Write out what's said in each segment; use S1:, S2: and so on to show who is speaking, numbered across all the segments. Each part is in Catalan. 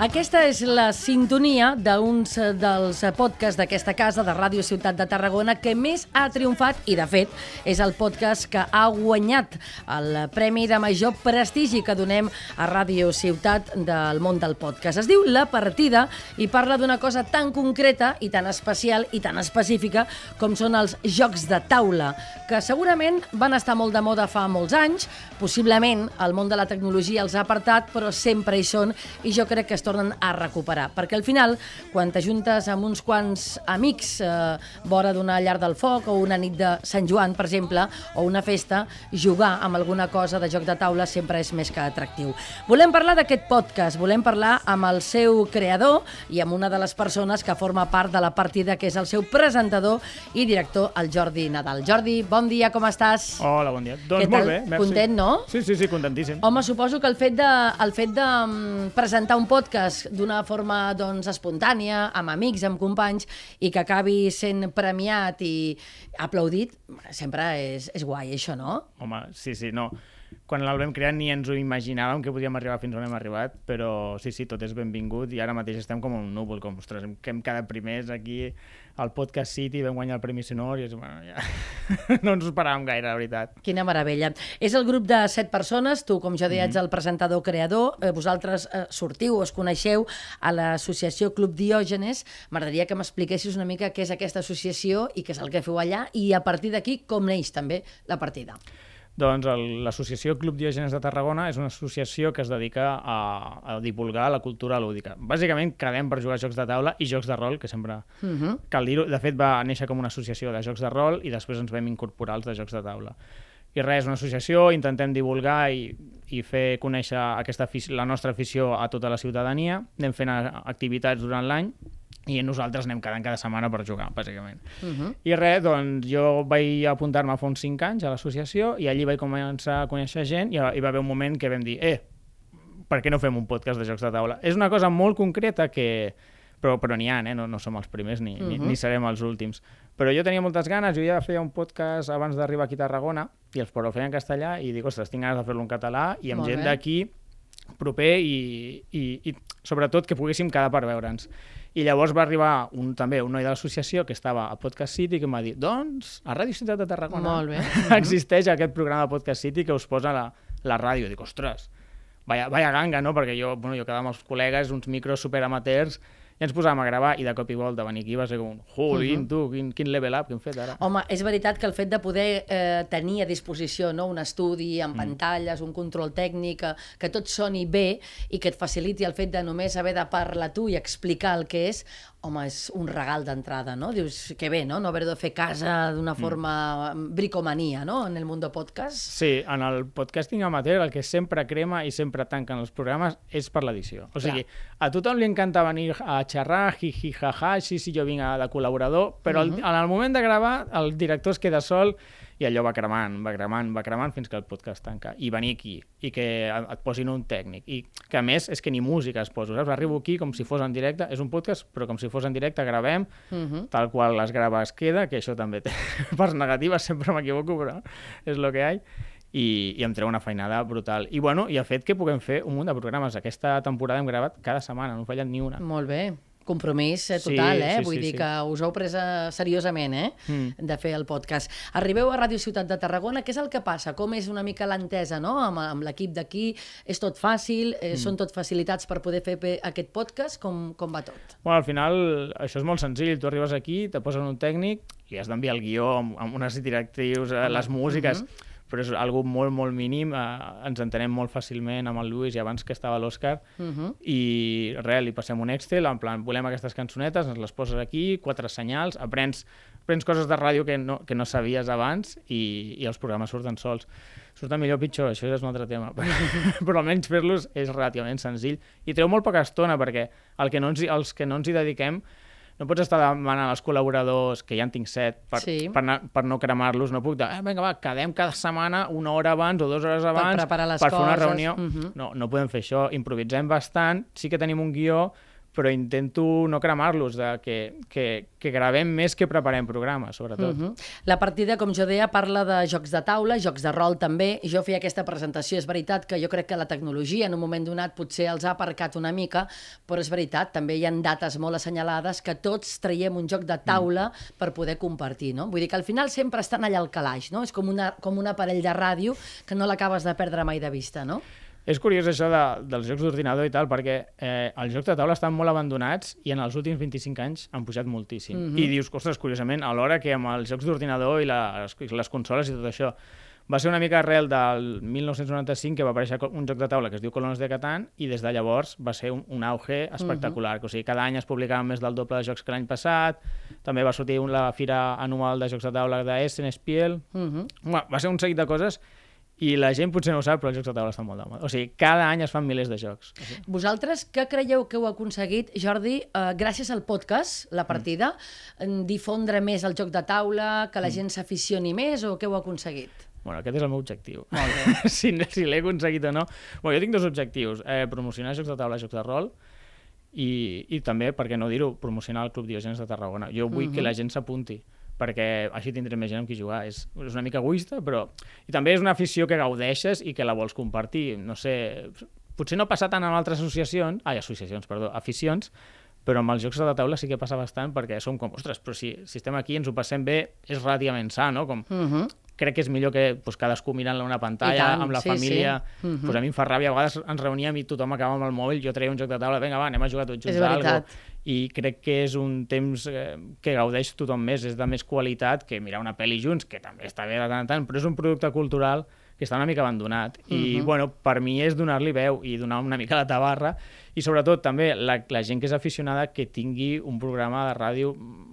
S1: Aquesta és la sintonia d'uns dels podcasts d'aquesta casa de Ràdio Ciutat de Tarragona que més ha triomfat i, de fet, és el podcast que ha guanyat el premi de major prestigi que donem a Ràdio Ciutat del món del podcast. Es diu La Partida i parla d'una cosa tan concreta i tan especial i tan específica com són els jocs de taula, que segurament van estar molt de moda fa molts anys, possiblement el món de la tecnologia els ha apartat, però sempre hi són i jo crec que es tornen a recuperar, perquè al final, quan t'ajuntes amb uns quants amics vora d'una llar del foc o una nit de Sant Joan, per exemple, o una festa, jugar amb alguna cosa de joc de taula sempre és més que atractiu. Volem parlar d'aquest podcast, volem parlar amb el seu creador i amb una de les persones que forma part de La Partida, que és el seu presentador i director, el Jordi Nadal. Jordi, bon dia, com estàs?
S2: Hola, bon dia. Doncs molt bé, merci.
S1: Content, no?
S2: Sí, contentíssim.
S1: Home, suposo que el fet de presentar un podcast d'una forma espontània, amb amics, amb companys, i que acabi sent premiat i aplaudit, sempre és guai, això, no?
S2: Home, sí, no. Quan el vam crear ni ens ho imaginàvem que podíem arribar fins on hem arribat, però sí, tot és benvingut i ara mateix estem com un núvol, com, ostres, que hem quedat primers aquí al Podcast City, vam guanyar el Premi Sonor i bueno, ja no ens ho esperàvem gaire, la veritat.
S1: Quina meravella. És el grup de 7 persones, tu, com ja deies, el presentador-creador, vosaltres sortiu, us coneixeu a l'associació Club Diògenes. M'agradaria que m'expliquessis una mica què és aquesta associació i què és el que feu allà i a partir d'aquí com neix també La Partida.
S2: Doncs l'associació Club Diògenes de Tarragona és una associació que es dedica a divulgar la cultura lúdica. Bàsicament quedem per jugar a jocs de taula i jocs de rol, que sempre cal dir-ho. De fet, va néixer com una associació de jocs de rol i després ens vam incorporar els de jocs de taula. I res, és una associació, intentem divulgar i fer conèixer la nostra afició a tota la ciutadania. Anem fent activitats durant l'any i nosaltres anem cada setmana per jugar, bàsicament. I res, doncs jo vaig apuntar-me fa uns 5 anys a l'associació i allí vaig començar a conèixer gent i hi va haver un moment que vam dir per què no fem un podcast de jocs de taula? És una cosa molt concreta però n'hi ha, no som els primers ni serem els últims. Però jo tenia moltes ganes, jo ja feia un podcast abans d'arribar aquí a Tarragona i els feia en castellà i dic, ostres, tinc ganes de fer-lo en català i amb gent d'aquí proper i sobretot que poguéssim quedar per veure'ns. I llavors va arribar també un noi de l'associació que estava a Podcast City que em va dir, doncs, a Ràdio Ciutat de Tarragona existeix aquest programa de Podcast City que us posa la ràdio. Dic, ostres, vaya ganga, no? Perquè jo quedava amb els col·legues, uns micros superamateurs, i ens posàvem a gravar i de cop i volta venir aquí va ser com, jolín, tu, quin level up que hem fet ara.
S1: Home, és veritat que el fet de poder tenir a disposició un estudi amb pantalles, un control tècnic, que tot soni bé i que et faciliti el fet de només haver de parlar tu i explicar el que és, home, és un regal d'entrada, no? Dius, que bé, no? No haver de fer casa d'una forma bricomania, no? En el món del podcast.
S2: Sí, en el podcasting amateur el que sempre crema i sempre tanquen els programes és per l'edició. O sigui, a tothom li encanta venir a xerrar, jiji, jaja, sí, jo vinc de col·laborador, però en el moment de gravar el director es queda sol i allò va cremant fins que el podcast tanca. I venir aquí, i que et posin un tècnic, i que a més és que ni música es posa, saps? Arribo aquí com si fos en directe, és un podcast, però com si fos en directe, gravem, tal qual les grava es queda, que això també té parts negatives, sempre m'equivoco, però és el que hi ha, i em treu una feinada brutal. I bueno, i ha fet que puguem fer un munt de programes. Aquesta temporada hem gravat cada setmana, no hem fallat ni una.
S1: Molt bé. Compromís total, vull dir que us heu pres seriosament, de fer el podcast. Arribeu a Ràdio Ciutat de Tarragona, què és el que passa? Com és una mica l'entesa, no? Amb l'equip d'aquí, és tot fàcil, són tot facilitats per poder fer aquest podcast, com va tot?
S2: Bueno, al final això és molt senzill, tu arribes aquí, te posen un tècnic i has d'enviar el guió amb unes directrius, les músiques, però és algo molt, molt mínim, ens entenem molt fàcilment amb el Lluís i abans que estava l'Òscar, i res, li passem un Excel, en plan, volem aquestes cançonetes, ens les poses aquí, 4 senyals, aprens coses de ràdio que no sabies abans i els programes surten sols. Surten millor o pitjor, això és un altre tema, però almenys fer-los és relativament senzill i treu molt poca estona perquè els que no ens hi dediquem no pots estar demanant als col·laboradors, que ja en tinc 7, per no cremar-los. No puc dir, vinga, va, quedem cada setmana 1 hora abans o 2 hores abans per fer una reunió. No podem fer això. Improvisem bastant, sí que tenim un guió, però intento no cremar-los, que gravem més que preparem programes, sobretot.
S1: La partida, com jo deia, parla de jocs de taula, jocs de rol també. Jo feia aquesta presentació, és veritat que jo crec que la tecnologia en un moment donat potser els ha aparcat una mica, però és veritat, també hi ha dates molt assenyalades que tots traiem un joc de taula per poder compartir, no? Vull dir que al final sempre estan allà al calaix, no? És com un aparell de ràdio que no l'acabes de perdre mai de vista, no?
S2: És curiós això dels jocs d'ordinador i tal, perquè els jocs de taula estan molt abandonats i en els últims 25 anys han pujat moltíssim. I dius, ostres, curiosament, alhora que amb els jocs d'ordinador i les consoles i tot això, va ser una mica arrel del 1995 que va aparèixer un joc de taula que es diu Colonos de Catán i des de llavors va ser un auge espectacular. O sigui, cada any es publicaven més del doble de jocs que l'any passat, també va sortir la fira anual de jocs de taula d'Essen, Spiel... Va ser un seguit de coses i la gent potser no ho sap, però els jocs de taula estan molt de moda. O sigui, cada any es fan milers de jocs.
S1: Vosaltres què creieu que heu aconseguit, Jordi, gràcies al podcast, la partida, difondre més el joc de taula, que la gent s'aficioni més, o què heu aconseguit?
S2: Bueno, aquest és el meu objectiu. Molt bé. si l'he aconseguit o no. Bueno, jo tinc dos objectius. Promocionar jocs de taula, jocs de rol, i també, per què no dir-ho, promocionar el Club Diògenes de Tarragona. Jo vull que la gent s'apunti, perquè així tindré més gent amb qui jugar. És una mica egoista, però... I també és una afició que gaudeixes i que la vols compartir. No sé, potser no passa tant en altres aficions, però amb els jocs de taula sí que passa bastant, perquè som com, ostres, però si estem aquí i ens ho passem bé, és relativament sa, no? Com... Crec que és millor que cadascú mirant una pantalla, amb la família. Pues a mi em fa ràbia, a vegades ens reuníem i tothom acaba amb el mòbil, jo treia un joc de taula, vinga, va, anem a jugar tots junts a alguna cosa. I crec que és un temps que gaudeix tothom més, és de més qualitat que mirar una pel·li junts, que també està bé de tant en tant, però és un producte cultural que està una mica abandonat. I, bueno, per mi és donar-li veu i donar una mica la tabarra, i sobretot també la gent que és aficionada que tingui un programa de ràdio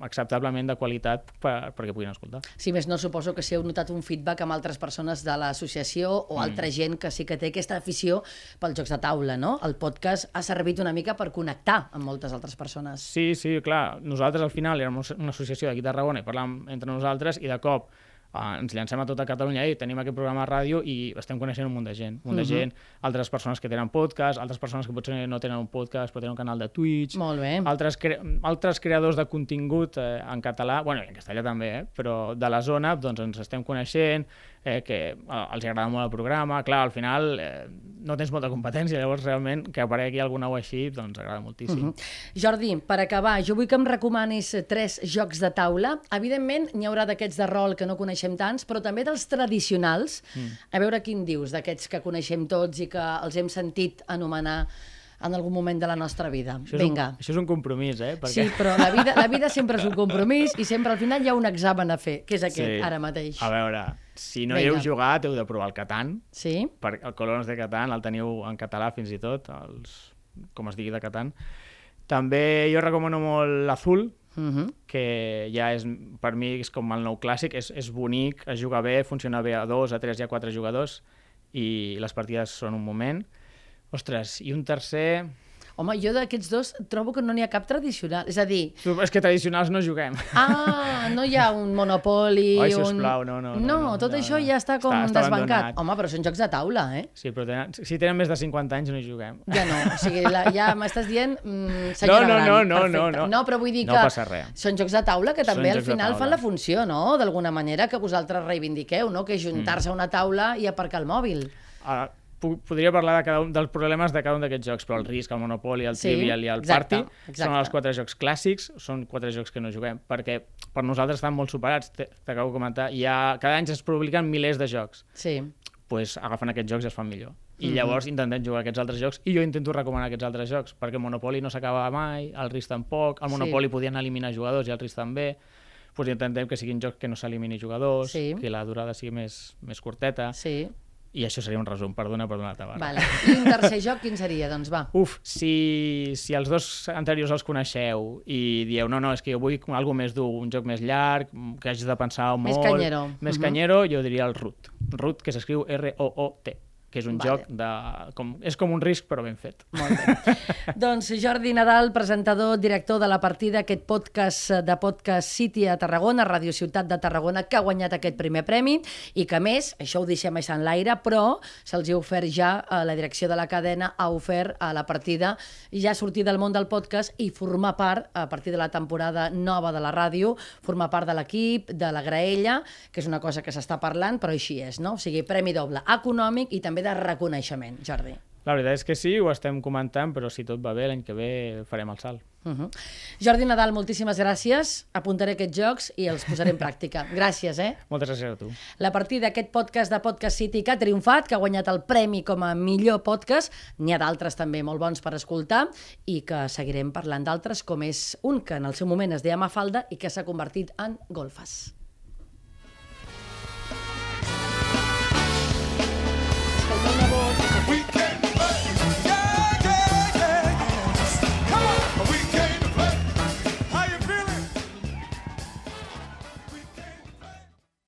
S2: acceptablement de qualitat perquè puguin escoltar.
S1: Si més no, suposo que si heu notat un feedback amb altres persones de l'associació o altra gent que sí que té aquesta afició pels jocs de taula, no? El podcast ha servit una mica per connectar amb moltes altres persones.
S2: Sí, clar. Nosaltres al final érem una associació d'aquí a Tarragona i parlàvem entre nosaltres i de cop ens llancem a tota Catalunya i tenim aquest programa de ràdio i estem coneixent un munt de gent. Altres persones que tenen podcast, altres persones que potser no tenen un podcast però tenen un canal de Twitch.
S1: Molt bé.
S2: Altres creadors de contingut en català, bueno, i en castellà també, però de la zona, doncs ens estem coneixent, que els agrada molt el programa. Clar, al final no tens molta competència, llavors realment que aparegui algun nou així, doncs agrada moltíssim.
S1: Jordi, per acabar, jo vull que em recomanis 3 jocs de taula. Evidentment, n'hi haurà d'aquests de rol que no coneixem tants, però també dels tradicionals. A veure quin dius, d'aquests que coneixem tots i que els hem sentit anomenar en algun moment de la nostra vida. Vinga.
S2: Això és un compromís, perquè...
S1: Sí, però la vida sempre és un compromís i sempre al final hi ha un examen a fer, que és aquest, ara mateix.
S2: A veure, si no hi heu jugat, heu de provar el Catan.
S1: Sí.
S2: El Colonos de Catán el teniu en català fins i tot, com es digui de Catan. També jo recomano molt l'Azul, que ja és, per mi, és com el nou clàssic, és bonic, es juga bé, funciona bé a 2, a 3 i a 4 jugadors, i les partides són un moment. Ostres, i un tercer...
S1: Home, jo d'aquests dos trobo que no n'hi ha cap tradicional. És a dir...
S2: És que tradicionals no juguem.
S1: No hi ha un Monopoly...
S2: Oi, sisplau, no.
S1: No, tot això ja està com desbancat. Home, però són jocs de taula,
S2: Sí, però si tenen més de 50 anys no hi juguem.
S1: Ja no, o sigui, ja m'estàs dient senyora gran.
S2: No.
S1: No, però vull dir que...
S2: No passa res.
S1: Són jocs de taula que també al final fan la funció, no? D'alguna manera que vosaltres reivindiqueu, no? Que és juntar-se a una taula i aparcar el mòbil.
S2: Podria parlar de cada un dels problemes de cada un d'aquests jocs, però el Risk, el Monopoly, el Trivial i el Party són els 4 jocs clàssics, són 4 jocs que no juguem, perquè per nosaltres estan molt superats, t'acabo de comentar, i cada any es publiquen milers de jocs.
S1: Sí.
S2: Doncs agafen aquests jocs i es fan millor. I llavors intentem jugar aquests altres jocs, i jo intento recomanar aquests altres jocs, perquè el Monopoly no s'acaba mai, el Risk tampoc, el Monopoly podien eliminar jugadors i el Risk també, doncs intentem que siguin jocs que no s'elimini jugadors, que la durada sigui més curteta.
S1: Sí.
S2: I això seria un resum, perdona la tabarra.
S1: Vale. I un tercer joc, quin seria? Doncs va.
S2: Si els dos anteriors els coneixeu i dieu, no, és que jo vull alguna més dur, un joc més llarg, que hagis de pensar molt...
S1: Més canyero.
S2: Més canyero, jo diria el Root. Root, que s'escriu R-O-O-T. que és un joc és com un risc però ben fet.
S1: Molt bé. Doncs Jordi Nadal, presentador, director de La Partida, aquest podcast de Podcast City a Tarragona, Radio Ciutat de Tarragona, que ha guanyat aquest primer premi i que, a més, això ho deixem així en l'aire, però se'ls ha ofert ja, la direcció de la cadena ha ofert a La Partida ja sortir del món del podcast i formar part, a partir de la temporada nova de la ràdio, formar part de l'equip, de la graella, que és una cosa que s'està parlant, però així és, no? O sigui, premi doble econòmic i també de reconeixement, Jordi.
S2: La veritat és que sí, ho estem comentant, però si tot va bé, l'any que ve farem el salt.
S1: Jordi Nadal, moltíssimes gràcies. Apuntaré aquests jocs i els posaré en pràctica. Gràcies,
S2: Moltes gràcies a tu.
S1: La Partida, aquest podcast de Podcast City que ha triomfat, que ha guanyat el premi com a millor podcast. N'hi ha d'altres també molt bons per escoltar i que seguirem parlant d'altres, com és un que en el seu moment es deia Mafalda i que s'ha convertit en Golfes.